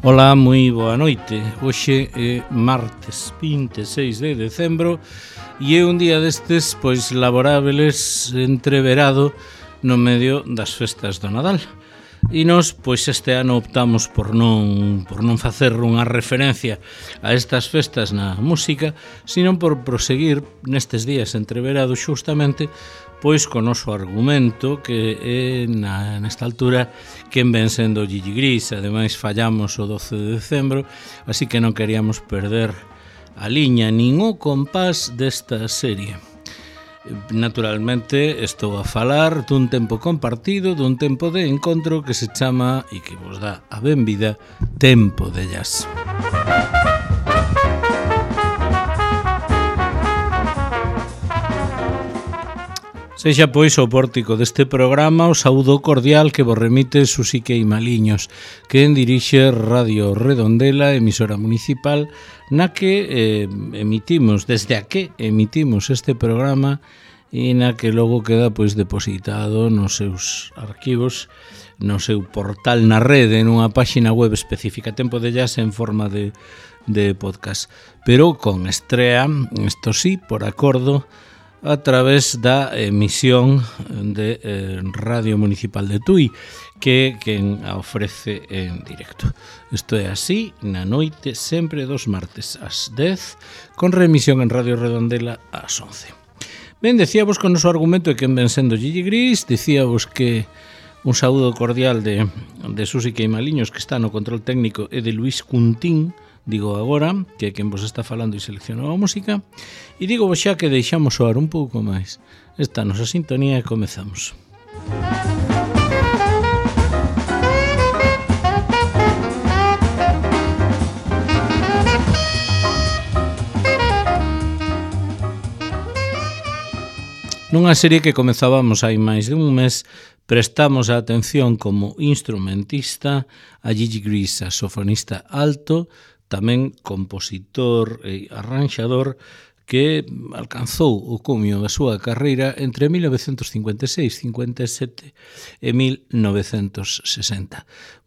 Ola, moi boa noite. Hoxe é martes 26 de decembro e é un día destes, pois, laborables entreverado no medio das festas do Nadal. E nós, pois, este ano optamos por non facer unha referencia a estas festas na música, sino por proseguir nestes días entreverado xustamente pois co noso argumento que é nesta altura quen ven sendo Gigi Gris. Ademais fallamos o 12 de decembro, así que non queríamos perder a liña nin o compás desta serie. Naturalmente estou a falar dun tempo compartido, dun tempo de encontro que se chama e que vos dá a benvida Tempo de Jazz. Sexa pois o pórtico deste programa o saúdo cordial que vos remite Susique Maliños, que dirixe Radio Redondela, emisora municipal, na que emitimos este programa e na que logo queda pois depositado nos seus arquivos, no seu portal na rede, nunha páxina web específica, Tempo de Jazz en forma de podcast, pero con estrea, isto sí, por acordo, a través da emisión de Radio Municipal de Tui, que quen a ofrece en directo. Isto é así, na noite, sempre dos martes ás 10, con remisión en Radio Redondela ás 11. Ben, decíavos con o noso argumento de quen ven sendo Gigi Gris, dicíavos que un saúdo cordial de Susique Maliños, que está no control técnico, e de Luis Cuntín, digo agora, que é quen vos está falando e seleccionou a música, e digo vos xa que deixamos soar un pouco máis esta nosa sintonía e comezamos. Nunha serie que comezábamos hai máis de un mes, prestamos a atención como instrumentista a Gigi Gris, a sofonista alto, tamén compositor e arranxador, que alcanzou o cumio da súa carreira entre 1956, 57 e 1960.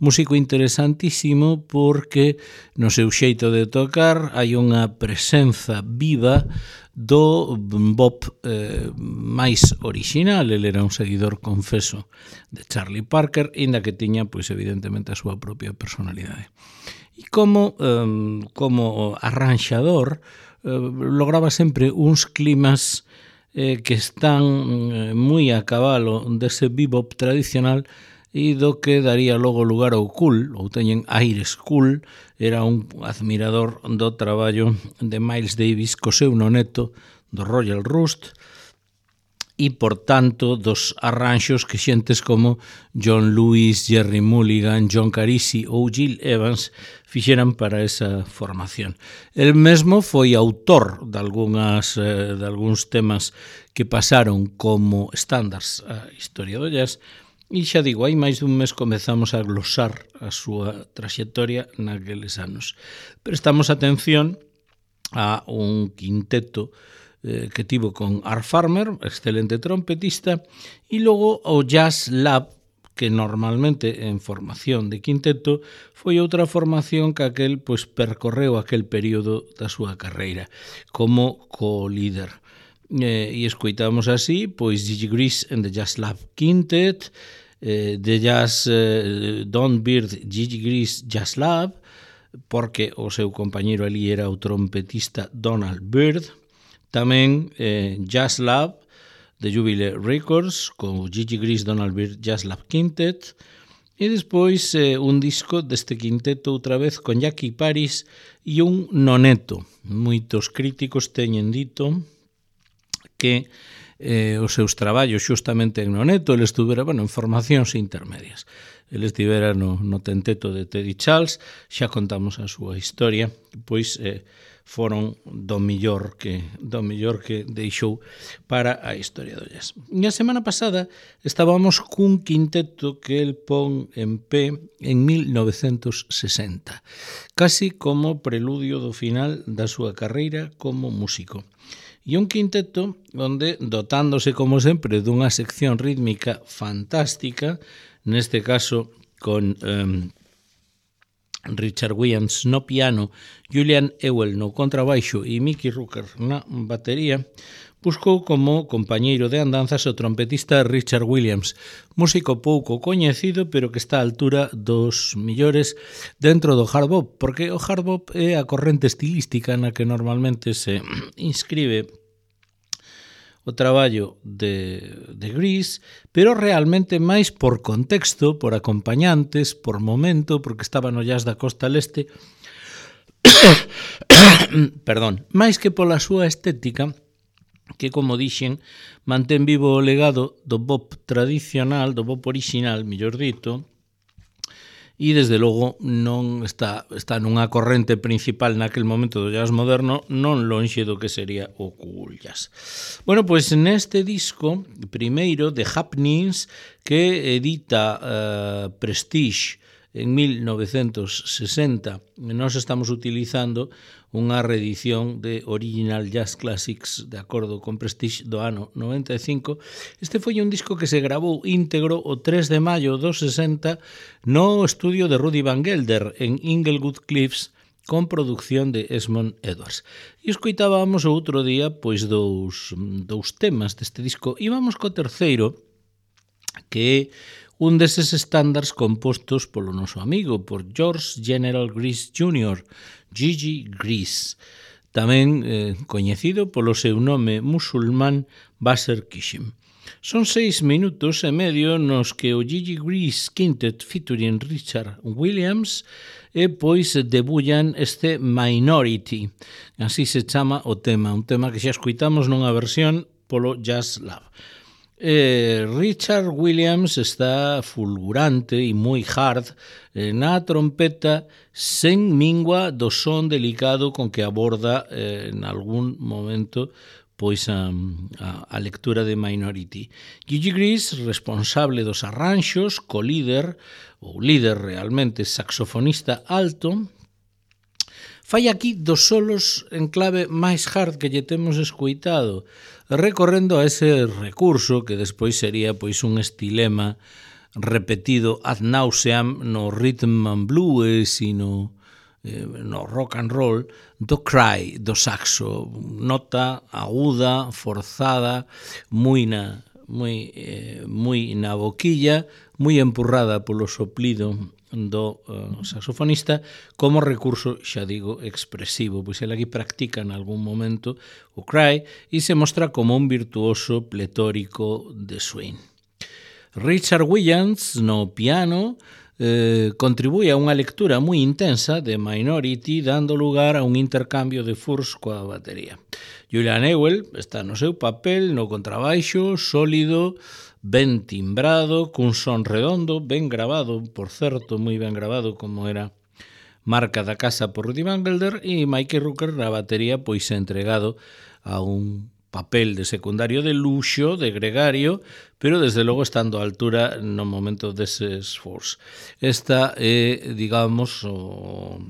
Músico interesantísimo porque no seu xeito de tocar hai unha presenza viva do bop máis original. Ele era un seguidor confeso de Charlie Parker, inda que tiña, pois, evidentemente, a súa propia personalidade. E como arranxador lograba sempre uns climas que están moi a cabalo dese bebop tradicional e do que daría logo lugar ao cool, ou teñen aires cool. Era un admirador do traballo de Miles Davis co seu noneto do Royal Rust e, por tanto, dos arranxos que xentes como John Lewis, Jerry Mulligan, John Carisi ou Gil Evans fixeran para esa formación. El mesmo foi autor de algúns temas que pasaron como estándares a historia do jazz. E xa digo, hai máis dun mes comezamos a glosar a súa traxectoria naqueles anos. Prestamos atención a un quinteto que tivo con Art Farmer, excelente trompetista, e logo o Jazz Lab, que normalmente en formación de quinteto foi outra formación que aquel, pois, percorreu aquel período da súa carreira como co-líder. E escoitamos así, pois, Gigi Gris and the Jazz Lab Quintet, The Jazz Don Byrd Gigi Gris Jazz Lab, porque o seu compañeiro ali era o trompetista Donald Byrd. Tamén Jazz Lab de Jubilee Records con Gigi Gris Donald Byrd Jazz Lab Quintet, e despois un disco deste quinteto outra vez con Jackie Paris e un noneto. Moitos críticos teñen dito que os seus traballos xustamente en noneto ele estuvera, en formacións intermedias. Ele estivera no tenteto de Teddy Charles, xa contamos a súa historia, pois foron do millor que deixou para a historia do jazz. E a semana pasada estábamos cun quinteto que el pon en pé en 1960, casi como preludio do final da súa carreira como músico. E un quinteto onde, dotándose como sempre dunha sección rítmica fantástica, neste caso con Richard Williams no piano, Julian Ewell no contrabaixo e Mickey Rooker na batería, buscou como compañeiro de andanzas o trompetista Richard Williams, músico pouco coñecido pero que está á altura dos millores dentro do hard bop, porque o hard bop é a corrente estilística na que normalmente se inscribe o traballo de Grease, pero realmente máis por contexto, por acompañantes, por momento, porque estaba no jazz da costa leste, perdón, máis que pola súa estética, que, como dixen, mantén vivo o legado do bop tradicional, do bop original, mellor dito, e desde logo non está nunha corrente principal naquel momento do jazz moderno, non lonxe do que sería o cool jazz. Bueno, pois neste disco, primeiro, The Happenings, que edita Prestige en 1960, nós estamos utilizando unha reedición de Original Jazz Classics de acordo con Prestige do ano 95. Este foi un disco que se gravou íntegro o 3 de maio do 60 no estudio de Rudy Van Gelder en Inglewood Cliffs con producción de Esmond Edwards. E escoitábamos o outro día pois dous temas deste disco. E vamos co terceiro, que é un deses estándares compostos polo noso amigo, por George General Grease Jr., Gigi Grease, tamén coñecido polo seu nome musulmán Basser Kishim. Son 6 minutos e medio nos que o Gigi Grease Quintet featuring Richard Williams pois debullan este Minority, así se chama o tema, un tema que xa escuitamos nunha versión polo Jazz Lab. Richard Williams está fulgurante e moi hard na trompeta sen mingua do son delicado con que aborda en algún momento pois a lectura de Minority. Gigi Grease, responsable dos arranxos, co-líder, ou líder realmente, saxofonista alto, fai aquí dos solos en clave máis hard que lle temos escoitado, recorrendo a ese recurso que despois sería pois un estilema repetido ad nauseam no rhythm and blues e no rock and roll do cry, do saxo, nota aguda, forzada, moi na boquilla, moi empurrada polo soplido do saxofonista como recurso, xa digo, expresivo, pois ele aquí practica en algún momento o cry e se mostra como un virtuoso pletórico de swing. Richard Williams no piano contribúe a unha lectura moi intensa de Minority, dando lugar a un intercambio de furs coa batería. Julian Ewell está no seu papel no contrabaixo, sólido, ben timbrado, cun son redondo, ben grabado, por certo, moi ben grabado, como era marca da casa por Rudy Van Gelder, e Mickey Rooker na batería, pois entregado a un papel de secundario de luxo, de gregario, pero desde logo estando á altura no momento dese esforzo. Esta é, digamos, o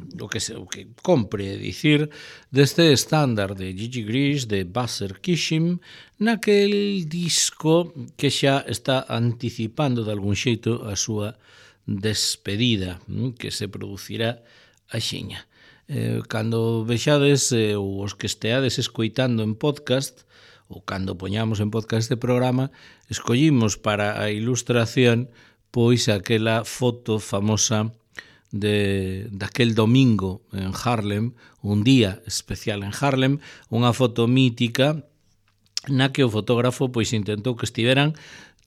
que compre dicir deste estándar de Gigi Grease, de Basser Kishim, naquel disco que xa está anticipando de algún xeito a súa despedida, que se producirá axiña. Cando vexades ou os que esteades escoitando en podcast, ou cando poñamos en podcast este programa, escollimos para a ilustración pois aquela foto famosa daquel domingo en Harlem, un día especial en Harlem, unha foto mítica na que o fotógrafo pois intentou que estiveran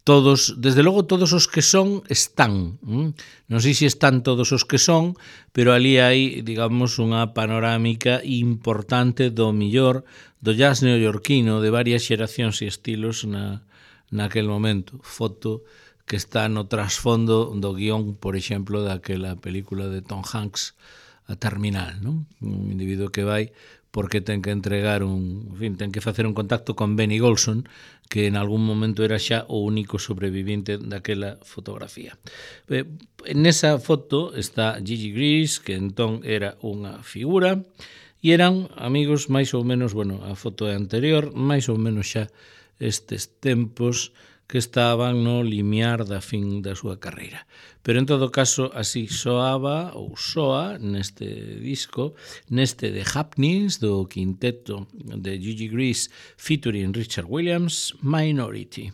todos, desde logo todos os que son están. Non sei se están todos os que son, pero ali hai, digamos, unha panorámica importante do millor do jazz neoyorquino de varias xeracións e estilos naquel momento. Foto que está no trasfondo do guión, por exemplo, daquela película de Tom Hanks, A Terminal, non? Un individuo que vai porque ten que entregar ten que facer un contacto con Benny Golson, que en algún momento era xa o único sobrevivinte daquela fotografía. Nesa foto está Gigi Grease, que entón era unha figura, e eran amigos máis ou menos, a foto é anterior, máis ou menos xa estes tempos que estaban no limiar da fin da súa carreira. Pero en todo caso, así soaba ou soa neste disco, neste The Happenings do quinteto de Gigi Grease featuring Richard Williams, Minority.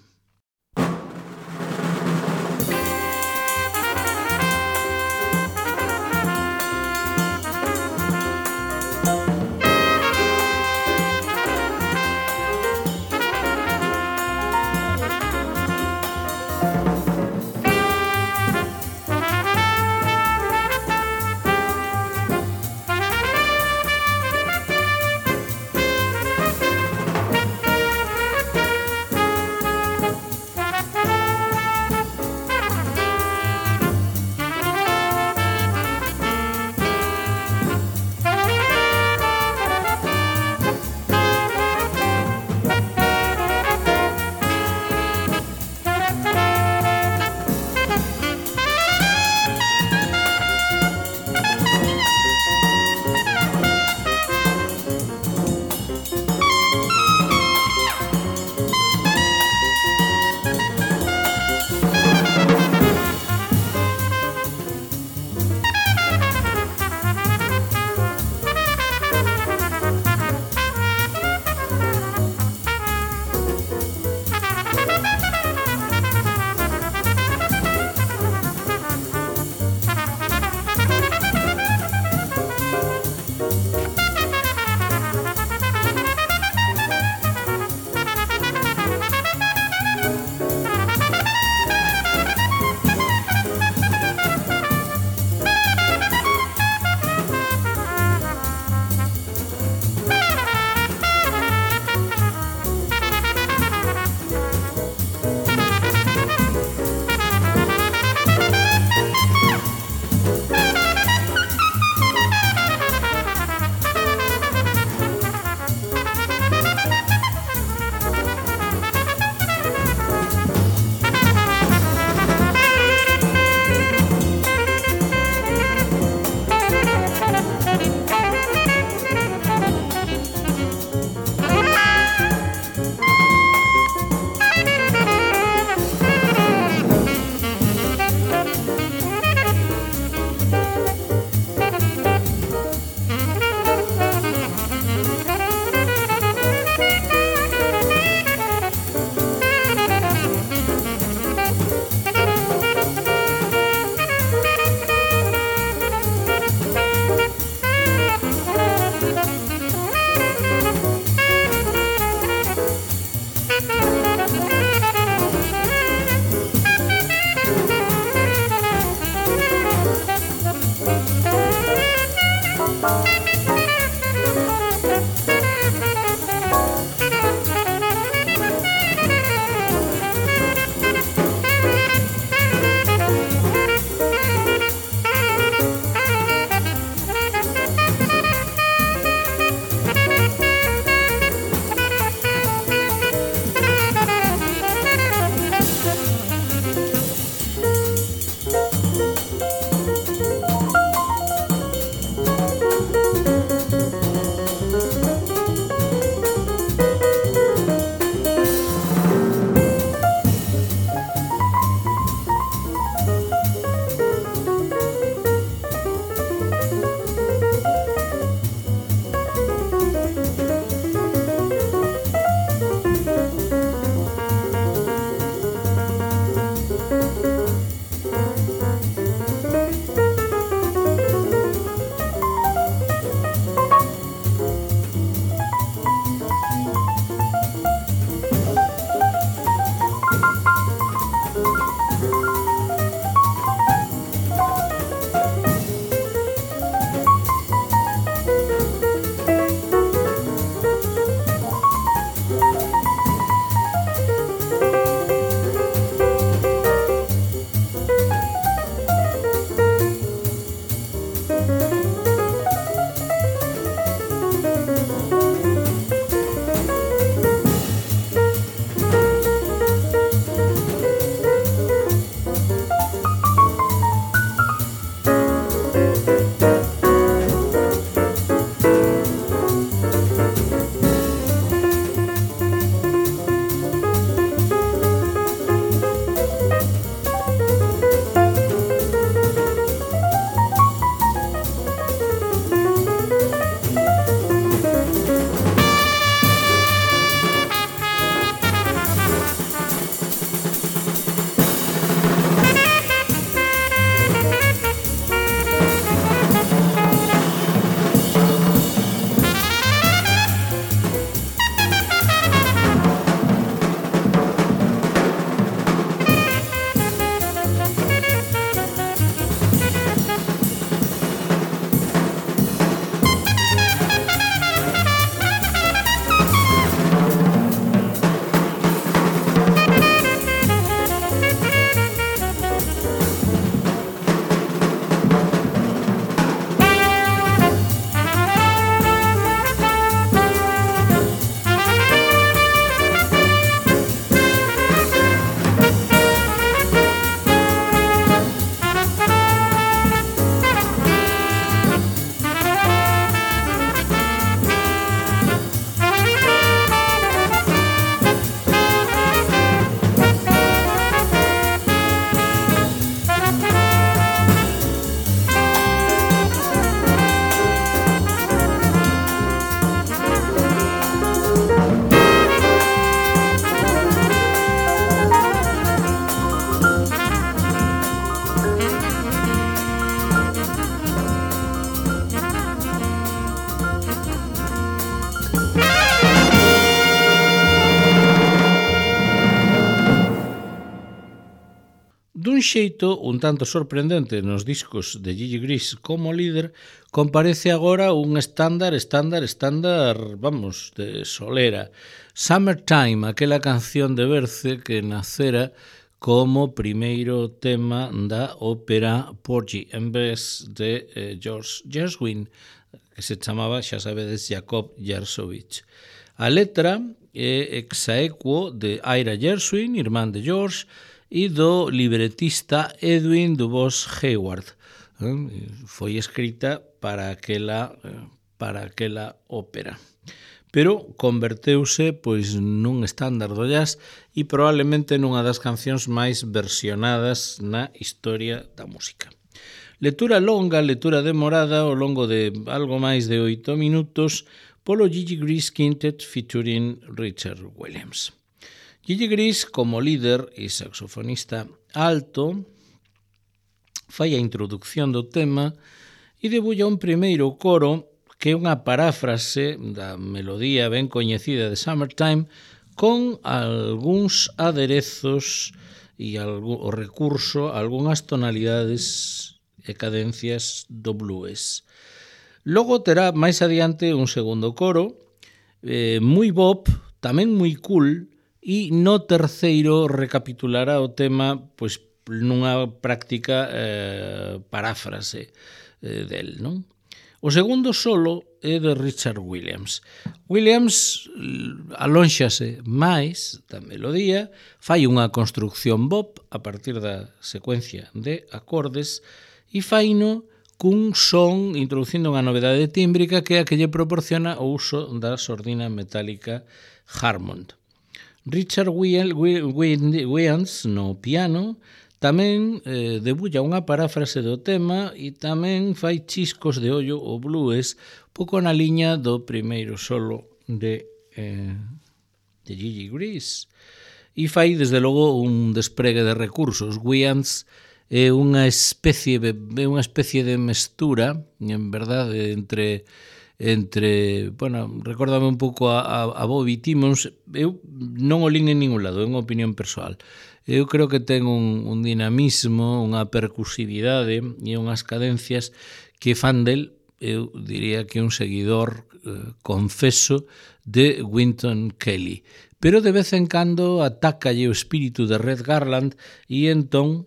dun xeito un tanto sorprendente nos discos de Gigi Gris como líder, comparece agora un estándar, vamos, de solera. Summertime, aquela canción de Berce que nacera como primeiro tema da ópera Porgy, en vez de George Gershwin, que se chamaba, xa sabedes, Jacob Gersowitz. A letra é exaequo de Ira Gershwin, irmán de George, e do libretista Edwin Dubois Hayward. Foi escrita para aquela ópera. Pero converteuse pois nun estándar do jazz e probablemente nunha das cancións máis versionadas na historia da música. Lectura longa, lectura demorada ao longo de algo máis de 8 minutos polo Gigi Gris Quintet featuring Richard Williams. Gigi Gris, como líder e saxofonista alto, fai a introducción do tema e debulla un primeiro coro que é unha paráfrase da melodía ben coñecida de Summertime con algúns aderezos e o recurso a algunhas tonalidades e cadencias do blues. Logo terá máis adiante un segundo coro, moi bop, tamén moi cool, e no terceiro recapitulará o tema pois nunha práctica paráfrase del, non? O segundo solo é de Richard Williams. Williams alónxase máis da melodía, fai unha construcción bop a partir da secuencia de acordes e faino cun son introducindo unha novedade tímbrica que é a que lle proporciona o uso da sordina metálica Hammond. Richard Williams no piano tamén debulla unha paráfrase do tema e tamén fai chiscos de ollo o blues, pouco na liña do primeiro solo de Gigi Gris. E fai, desde logo, un despregue de recursos. Williams é unha especie de mestura, en verdade, entre bueno, recórdame un pouco a Bobby Timmons. Eu non o lín en ningún lado, é unha opinión persoal. Eu creo que ten un dinamismo, unha percusividade e unhas cadencias que fan del, eu diría que un seguidor confeso de Wynton Kelly. Pero de vez en cando atácalle o espírito de Red Garland e entón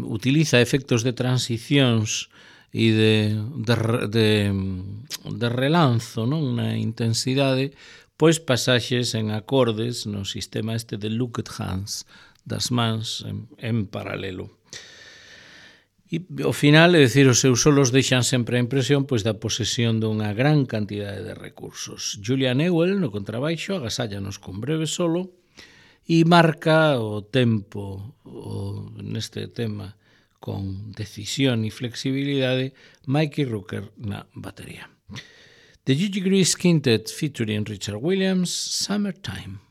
utiliza efectos de transicións e de relanzo, non, na intensidade, pois pasaxes en acordes no sistema este de looked hands, das mans en paralelo. E ao final, é dicir, os seus solos deixan sempre a impresión pois da posesión dunha gran cantidade de recursos. Julian Ewell no contrabaixo agasállanos con breve solo e marca o tempo neste tema con decisión e flexibilidade Mikey Rooker na batería. The Gigi Gris Quintet featuring Richard Williams, Summertime.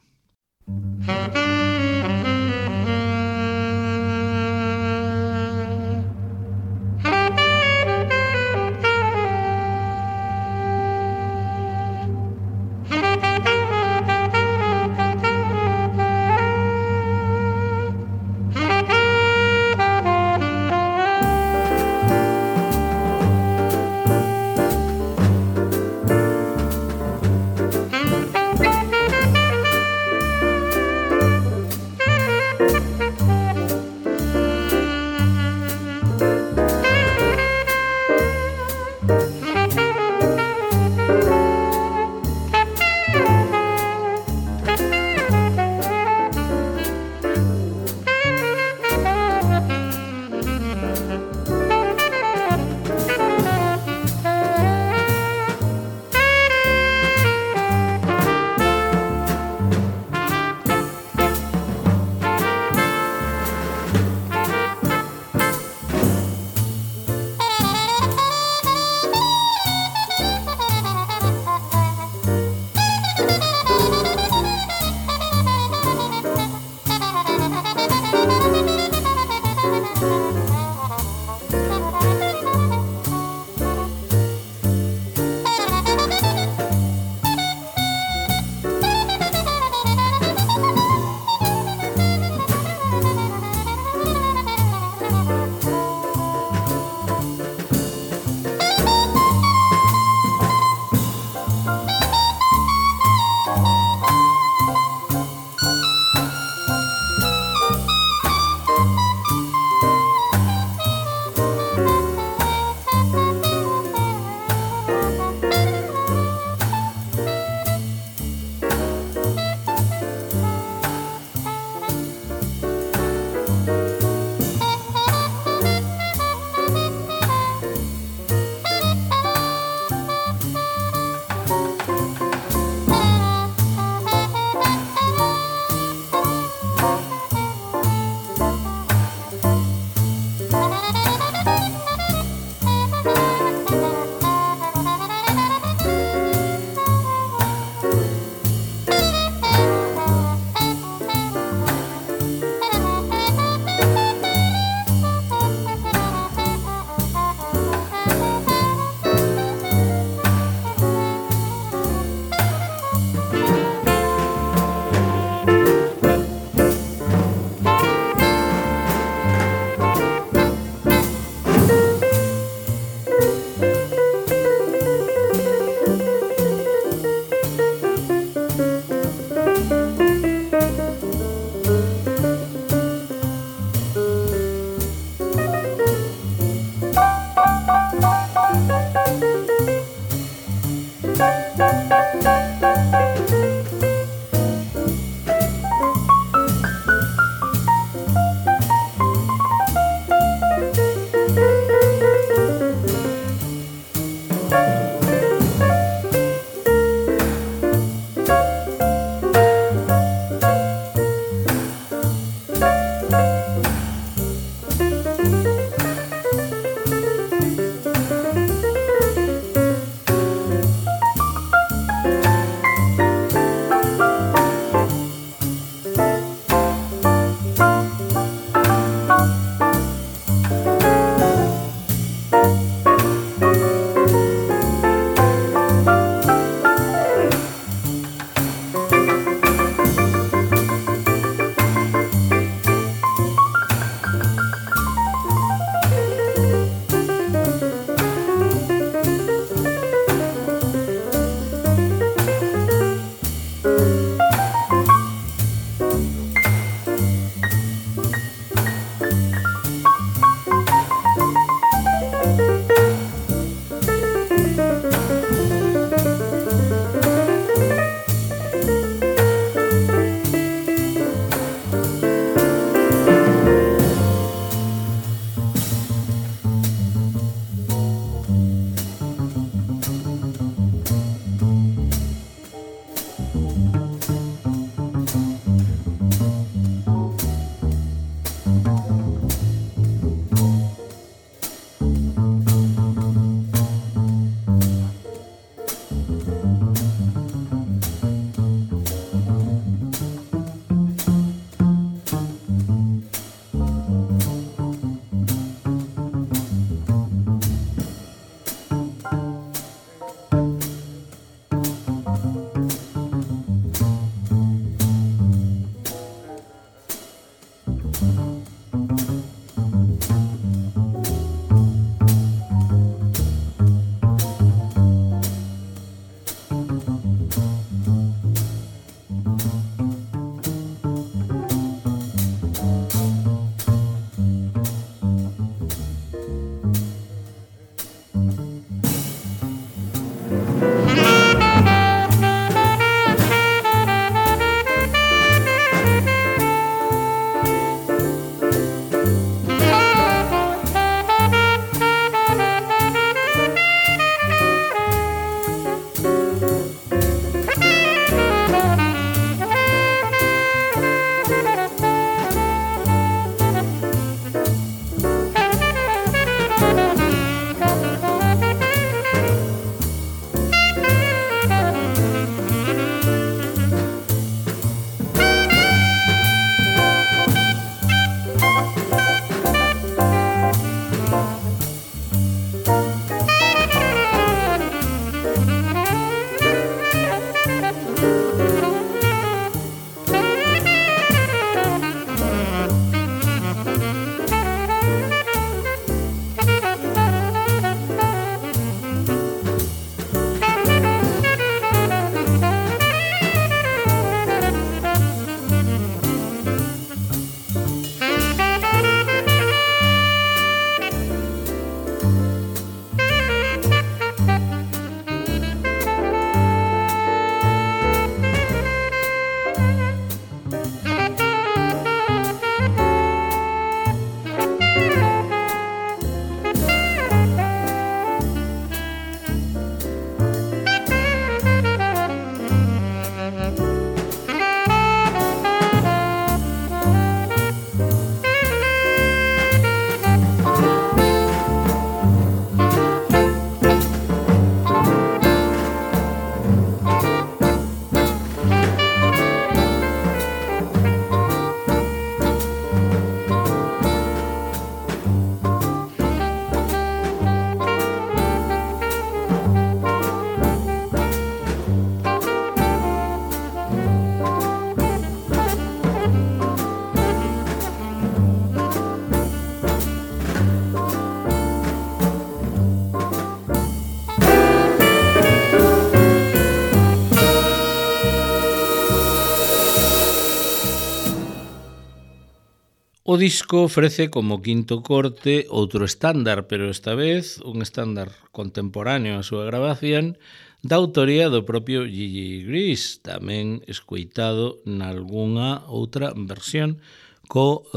O disco ofrece como quinto corte outro estándar, pero esta vez un estándar contemporáneo á súa grabación da autoría do propio Gigi Gris, tamén escoitado nalgunha outra versión co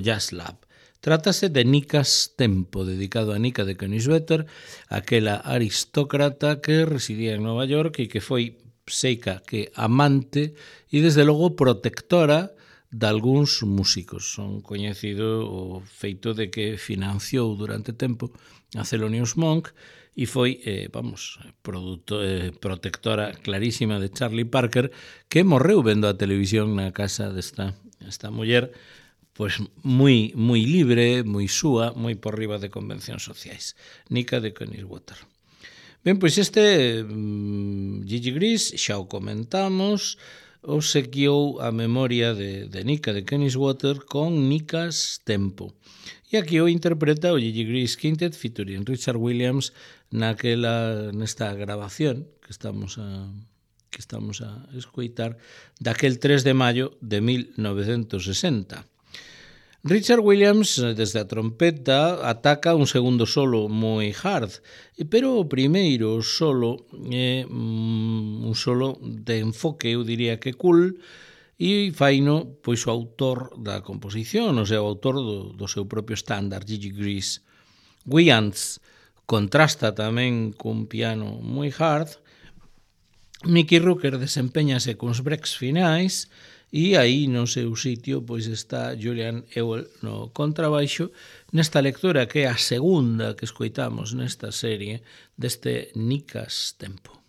Jazz Lab. Trátase de Nicas Tempo, dedicado a Nica de Königswetter, aquela aristócrata que residía en Nova York e que foi seica que amante e desde logo protectora de algúns músicos. Son coñecido o feito de que financiou durante tempo a Thelonious Monk e foi, protectora clarísima de Charlie Parker, que morreu vendo a televisión na casa desta muller, pois moi libre, moi súa, moi por riba de convencións sociais. Nica de Königswetter. Ben, pois este Gigi Gris, xa o comentamos, obsequiou a memoria de Nica de Königswetter con Nicas Tempo. E aquí o interpreta o Gigi Gris Quintet featuring Richard Williams nesta grabación que estamos a escoitar daquel 3 de maio de 1960. Richard Williams, desde a trompeta, ataca un segundo solo moi hard, pero o primeiro solo é un solo de enfoque, eu diría que cool, e faino pois o autor da composición, o sea, o autor do seu propio estándar, Gigi Gris. Williams contrasta tamén cun piano moi hard. Mickey Rooker desempeñase cuns breaks finais, e aí no seu sitio pois está Julian Ewell no contrabaixo nesta lectura que é a segunda que escoitamos nesta serie deste Nicas Tempo.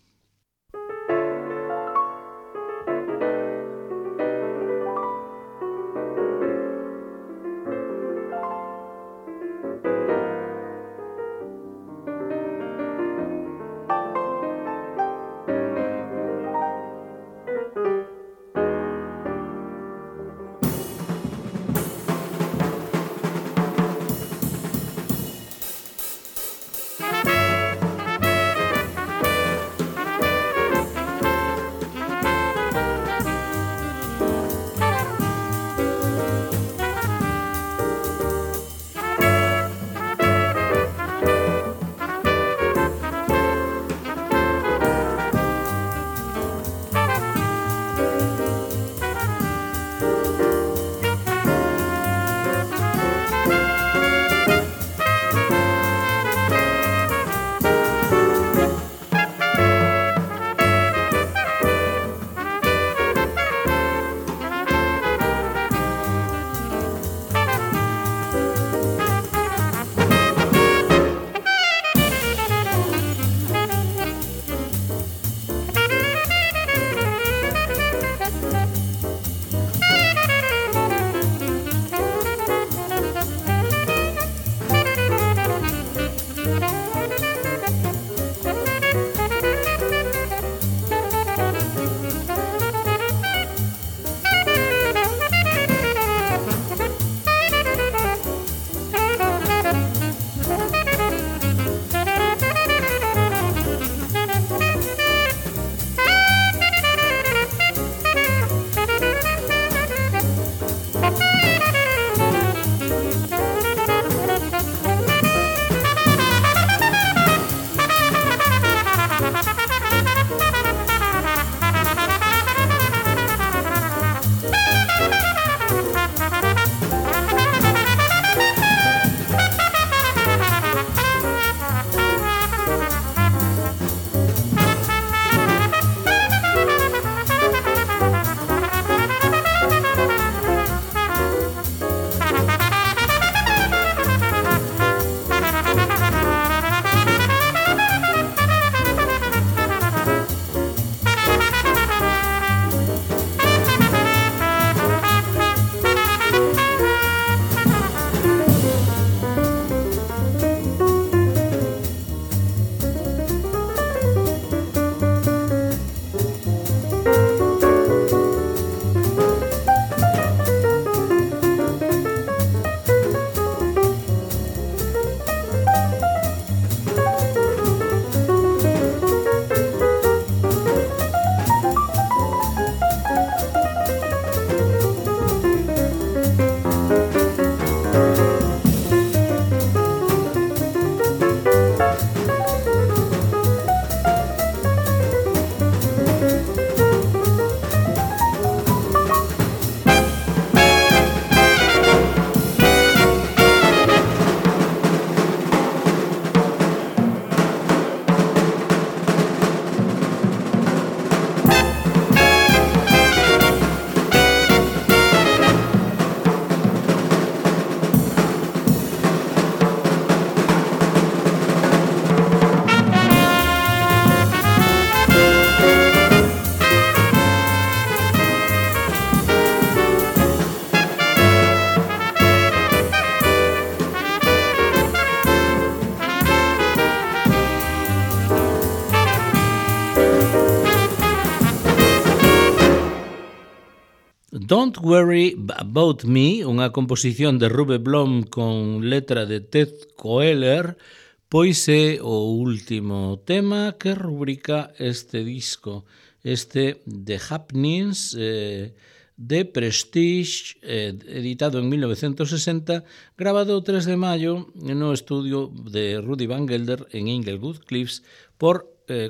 Don't Worry About Me, unha composición de Ruben Blum con letra de Ted Koehler, pois é o último tema que rubrica este disco, este The Happenings de Prestige, editado en 1960, grabado o 3 de maio no estudio de Rudy Van Gelder en Inglewood Cliffs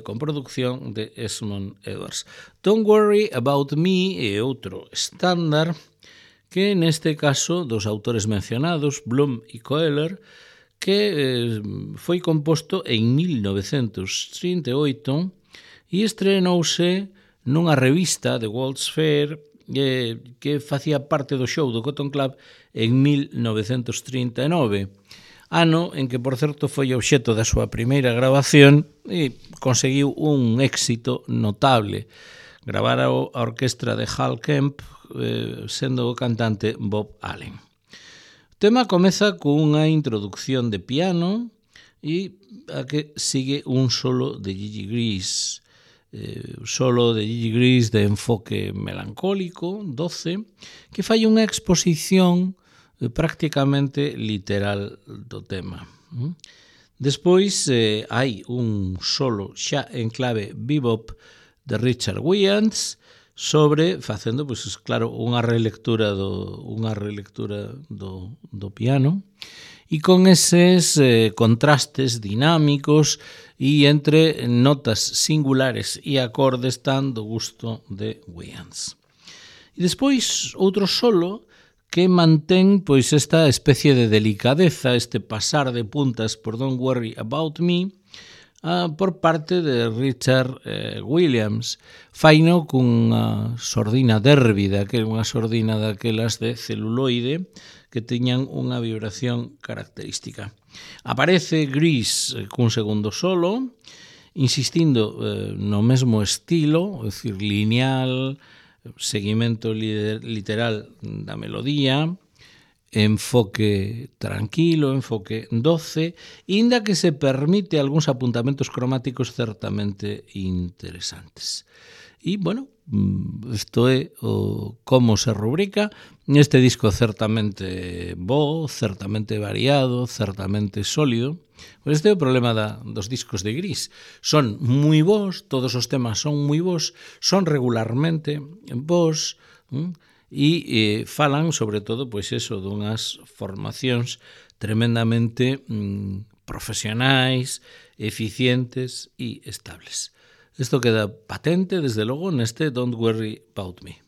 con producción de Esmond Edwards. Don't Worry About Me é outro estándar que neste caso dos autores mencionados, Blum e Koehler, que foi composto en 1938 e estrenouse nunha revista de World's Fair que facía parte do show do Cotton Club en 1939, ano en que, por certo, foi obxecto da súa primeira grabación e conseguiu un éxito notable. Gravara a orquestra de Hal Kemp, sendo o cantante Bob Allen. O tema comeza cunha introducción de piano e a que sigue un solo de Gigi Gris. Solo de Gigi Gris de enfoque melancólico, doce, que fai unha exposición prácticamente literal do tema. Despois hai un solo xa en clave bebop de Richard Williams, facendo, pois claro, unha relectura do piano e con eses contrastes dinámicos e entre notas singulares e acordes tan do gusto de Williams. E despois outro solo que mantén pois esta especie de delicadeza, este pasar de puntas por Don't Worry About Me, por parte de Richard Williams. Faino cunha sordina dérbida, que é unha sordina daquelas de celuloide que tiñan unha vibración característica. Aparece Gris cun segundo solo, insistindo no mesmo estilo, é dicir, lineal, seguimento literal da melodía, enfoque tranquilo, enfoque doce, inda que se permite algúns apuntamentos cromáticos certamente interesantes. E, bueno, isto é como se rubrica neste disco certamente bo, certamente variado, certamente sólido. Este é o problema dos discos de Gris. Son moi bons, todos os temas son moi bons, son regularmente bons, e falan sobre todo pois eso dunhas formacións tremendamente profesionais, eficientes e estables. Isto queda patente desde logo neste Don't Worry About Me.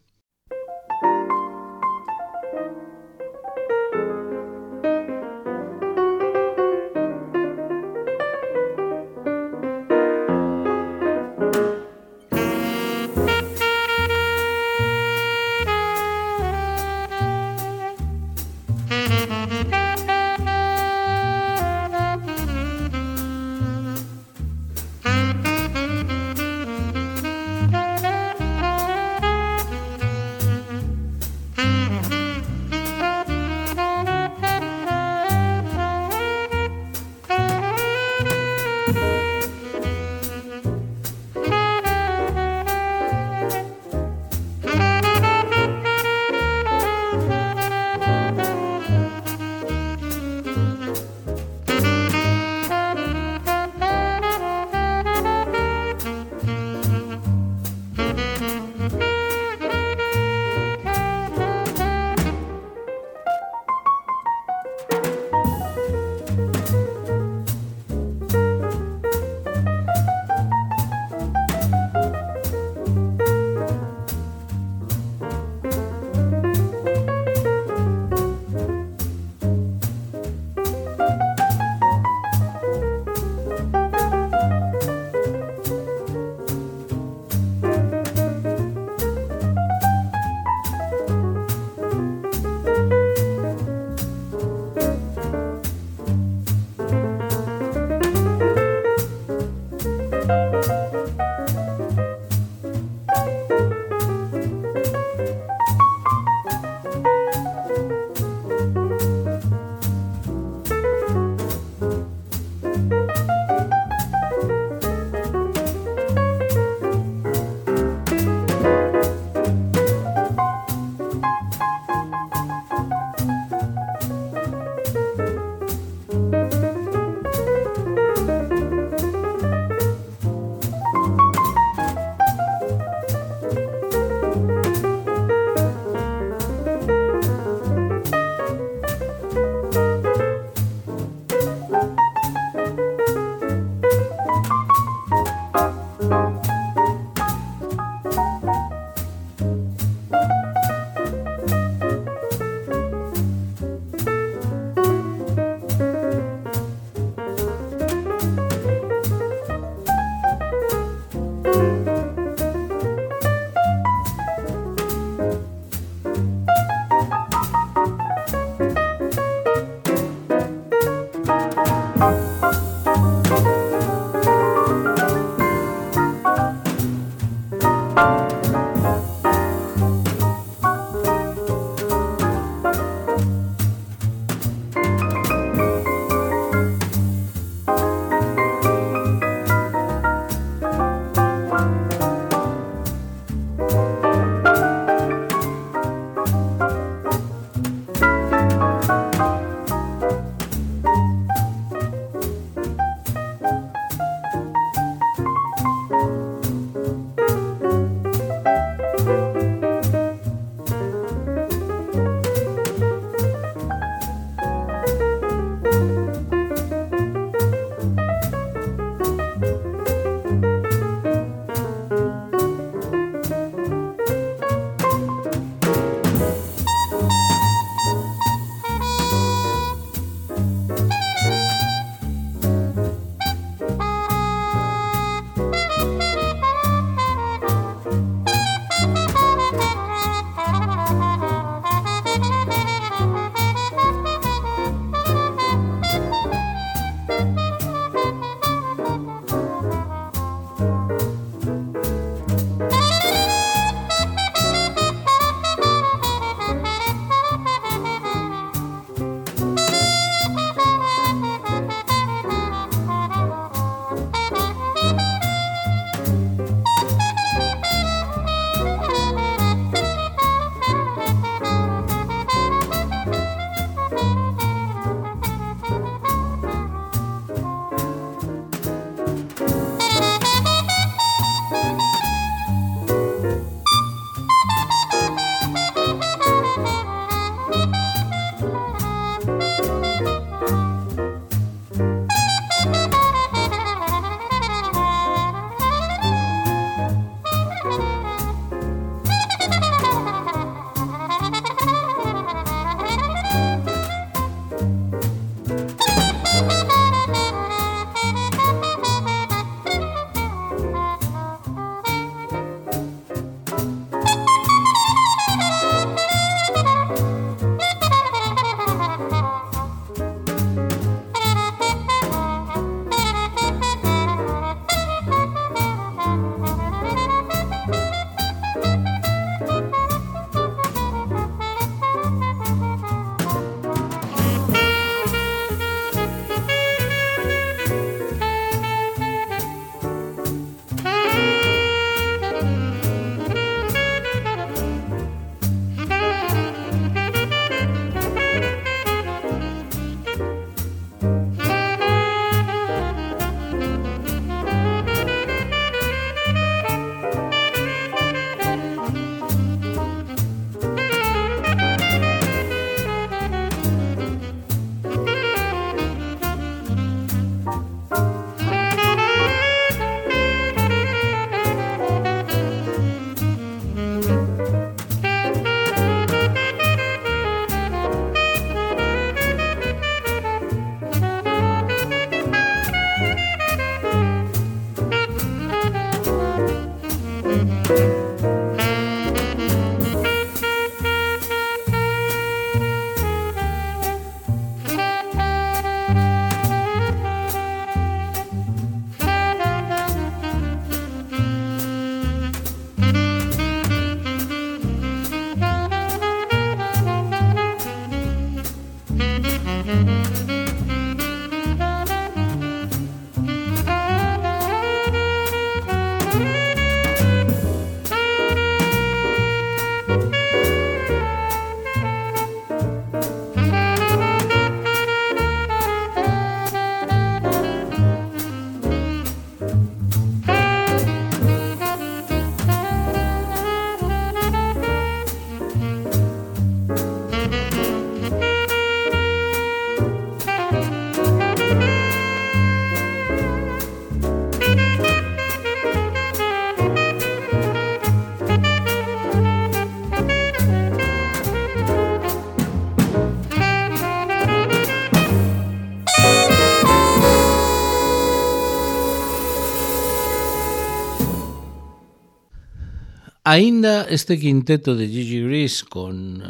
Aínda este quinteto de Gigi Grease con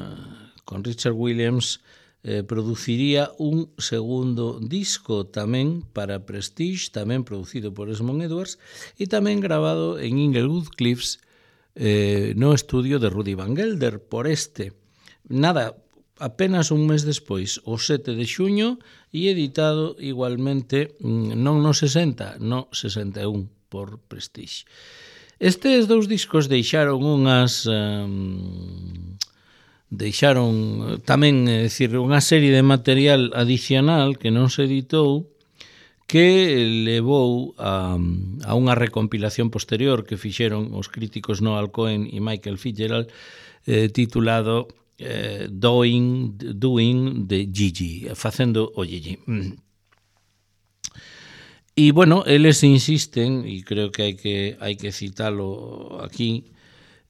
Richard Williams produciría un segundo disco tamén para Prestige, tamén producido por Esmond Edwards e tamén grabado en Inglewood Cliffs no estudio de Rudy Van Gelder por apenas un mes despois, o 7 de xuño, e editado igualmente non no 60, no 61 por Prestige. Estes dous discos deixaron tamén, unha serie de material adicional que non se editou, que levou a unha recompilación posterior que fixeron os críticos Noel Cohen e Michael Fitzgerald, titulado Doing de Gigi, facendo o Gigi. E, bueno, eles insisten, e creo que hai que citalo aquí,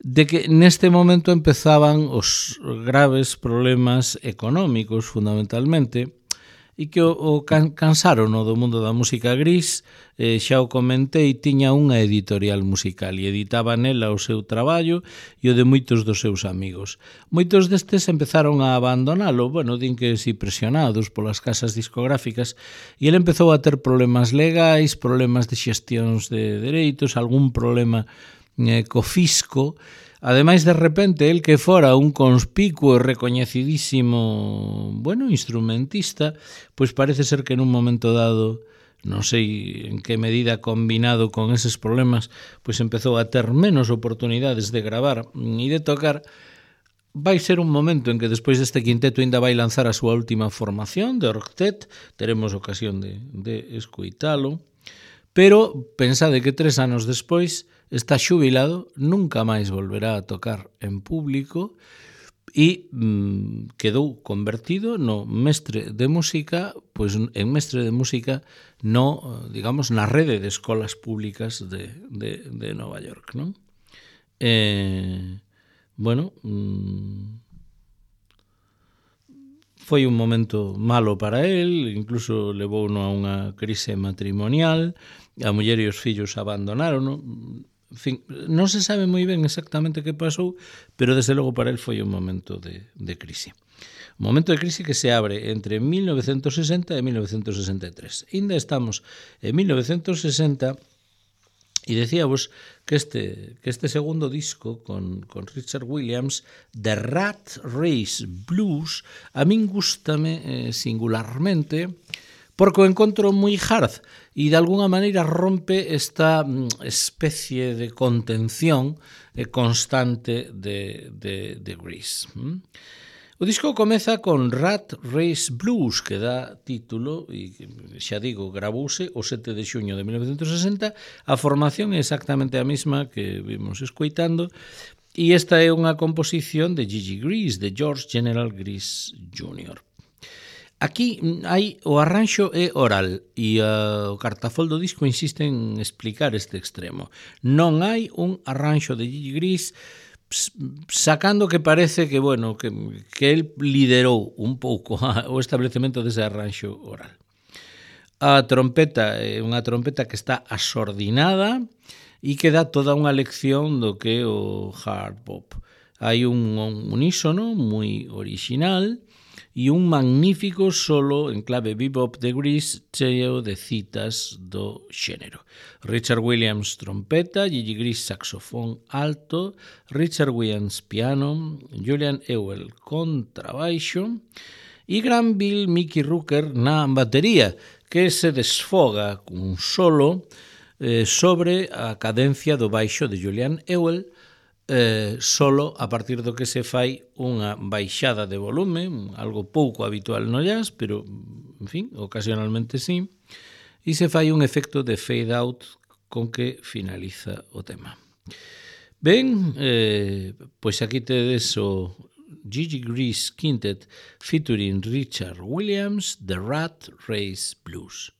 de que neste momento empezaban os graves problemas económicos, fundamentalmente, e que o cansaron do mundo da música gris. Xa o comentei, tiña unha editorial musical e editaba nela o seu traballo e o de moitos dos seus amigos. Moitos destes empezaron a abandonalo, din que si presionados polas casas discográficas, e ele empezou a ter problemas legais, problemas de xestións de dereitos, algún problema co fisco. Ademais, de repente, el que fora un conspicuo e recoñecidísimo, instrumentista, pois parece ser que nun momento dado, non sei en que medida combinado con eses problemas, pois empezou a ter menos oportunidades de gravar e de tocar. Vai ser un momento en que despois deste quinteto ainda vai lanzar a súa última formación de Octet, teremos ocasión de escoitalo, pero pensade que 3 anos despois está xubilado, nunca máis volverá a tocar en público e quedou convertido no mestre de música, pois en mestre de música na rede de escolas públicas de Nova York, non? Foi un momento malo para el, incluso levouno a unha crise matrimonial, a muller e os fillos abandonaron. En fin, non se sabe moi ben exactamente que pasou, pero desde logo para el foi un momento de crise. Un momento de crise que se abre entre 1960 e 1963. Ainda estamos en 1960 e decíamos que este segundo disco con Richard Williams, The Rat Race Blues, a min gústame singularmente, porque o encontro moi hard e de alguna maneira rompe esta especie de contención constante de Grease. O disco comeza con Rat Race Blues, que dá título, e xa digo, gravouse o 7 de xuño de 1960, a formación é exactamente a mesma que vimos escoitando, e esta é unha composición de Gigi Grease, de George General Grease Jr. Aquí o arranxo é oral e o cartafol do disco insiste en explicar este extremo. Non hai un arranxo de Gigi Grease, sacando que parece que el liderou un pouco o establecemento dese arranxo oral. A trompeta é unha trompeta que está asordinada e que dá toda unha lección do que é o hard bop. Hai un unísono moi orixinal e un magnífico solo en clave bebop de Grease cheo de citas do xénero. Richard Williams trompeta, Gigi Grease saxofón alto, Richard Williams piano, Julian Ewell contrabaixo e Granville Mickey Rooker na batería, que se desfoga cun solo sobre a cadencia do baixo de Julian Ewell, solo a partir do que se fai unha baixada de volume, algo pouco habitual no jazz, pero, en fin, ocasionalmente sí, e se fai un efecto de fade out con que finaliza o tema. Ben, pois aquí tedes o Gigi Grease Quintet featuring Richard Williams, The Rat Race Blues.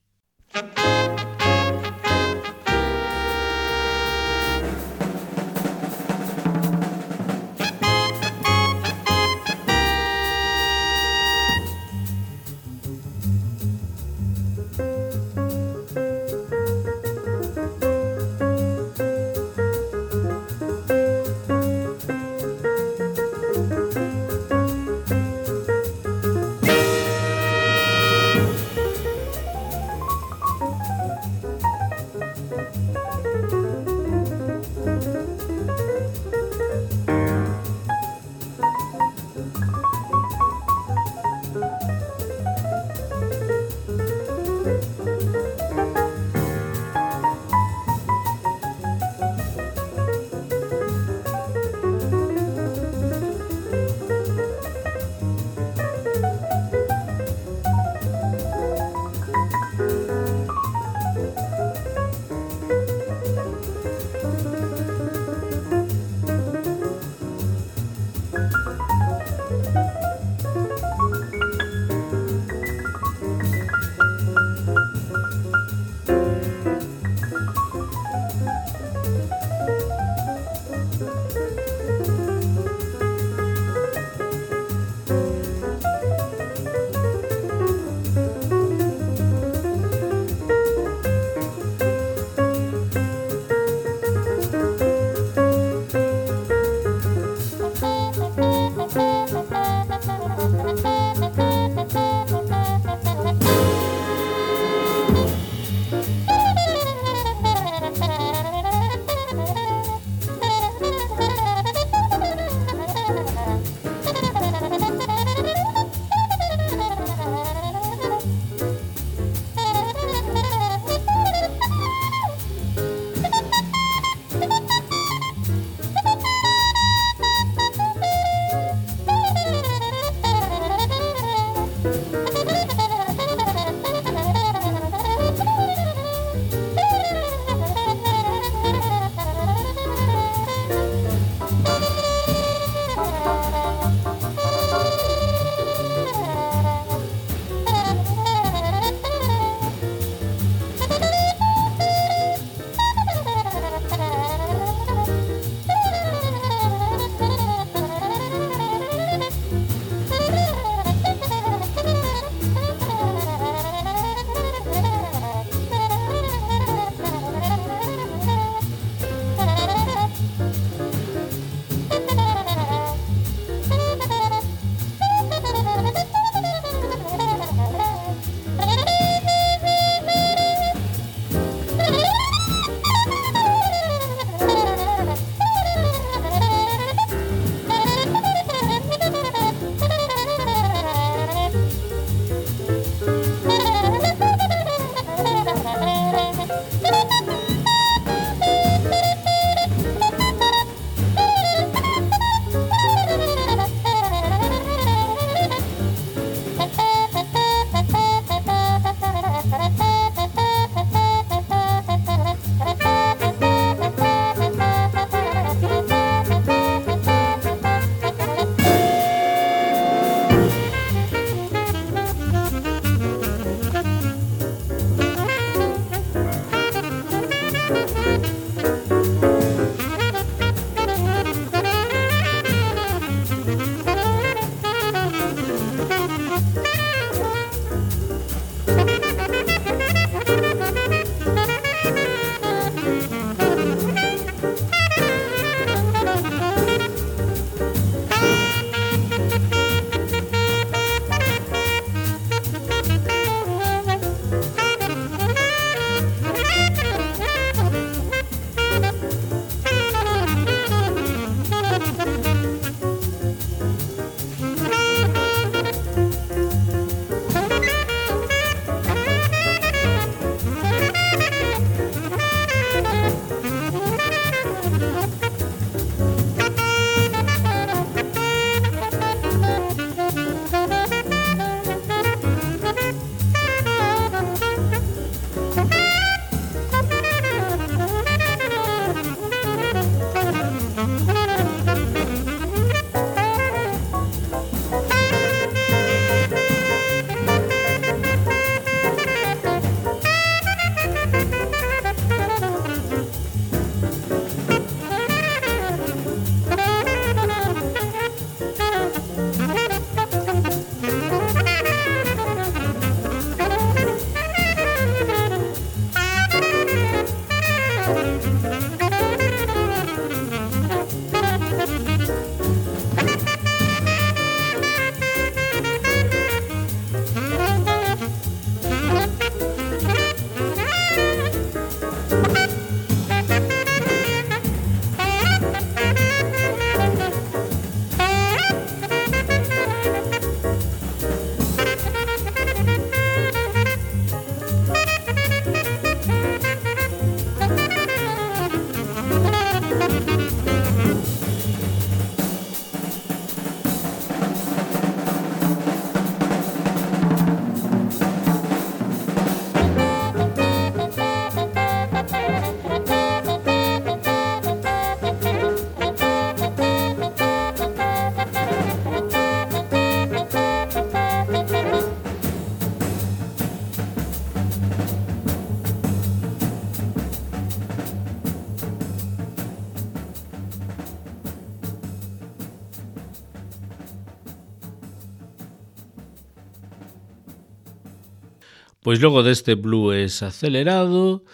Pois logo deste blues acelerado,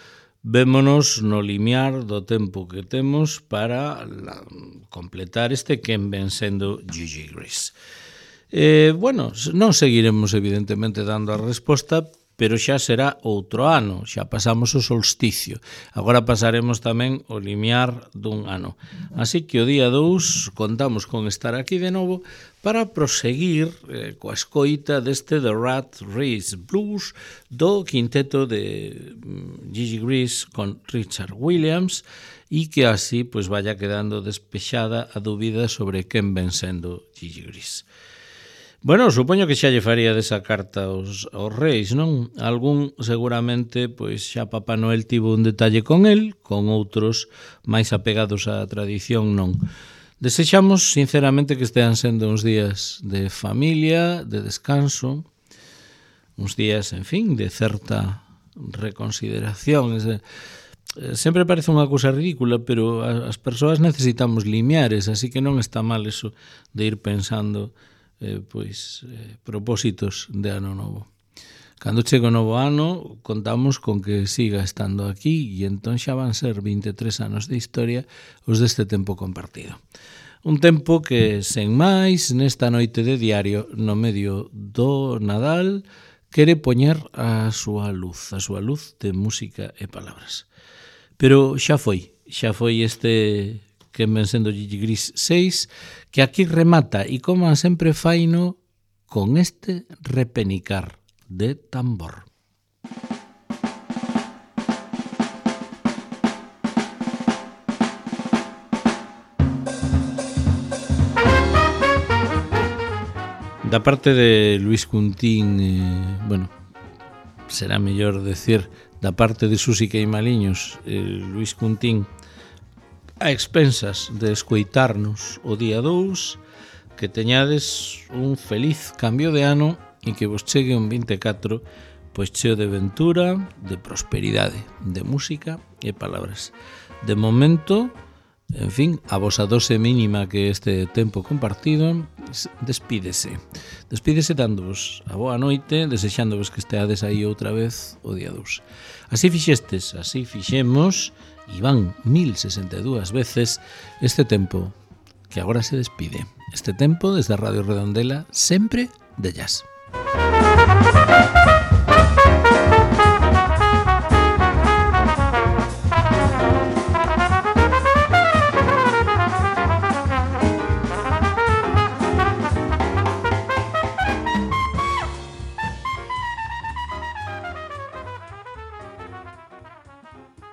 vémonos no limiar do tempo que temos para completar este quen ven sendo Gigi Gris. Bueno, non seguiremos evidentemente dando a resposta, pero xa será outro ano, xa pasamos o solsticio. Agora pasaremos tamén o limiar dun ano. Así que o día 2 contamos con estar aquí de novo para proseguir coa escoita deste The Rat Race Blues do quinteto de Gigi Gris con Richard Williams e que así pois vaya quedando despexada a dúbida sobre quen ven sendo Gigi Gris. Bueno, supoño que xa lle faría desa carta aos reis, non? Algún seguramente, pois xa Papá Noel tivo un detalle con el, con outros máis apegados á tradición non. Desexamos sinceramente que estean sendo uns días de familia, de descanso, uns días, en fin, de certa reconsideración. Sempre parece unha cousa ridícula, pero as persoas necesitamos limiares, así que non está mal eso de ir pensando propósitos de ano novo. Cando chega o novo ano, contamos con que siga estando aquí e entón xa van ser 23 anos de historia os deste tempo compartido. Un tempo que, sen máis, nesta noite de diario, no medio do Nadal, quere poñer a súa luz de música e palabras. Pero xa foi este que ven sendo Gigi Gris 6, que aquí remata e como sempre faino con este repenicar de tambor. Da parte de Luis Cuntín, bueno, será mellor decir da parte de Susi Queimaliños, Luis Cuntín, a expensas de escoitarnos o día 2, que teñades un feliz cambio de ano e que vos chegue un 24 pois cheo de ventura, de prosperidade, de música e palabras. De momento, en fin, a vosa dose mínima que este tempo compartido despídese dándovos a boa noite, desexándovos que esteades aí outra vez o día 2. Así fixemos e van 1062 veces este tempo que agora se despide. Este tempo desde Radio Redondela, sempre de jazz.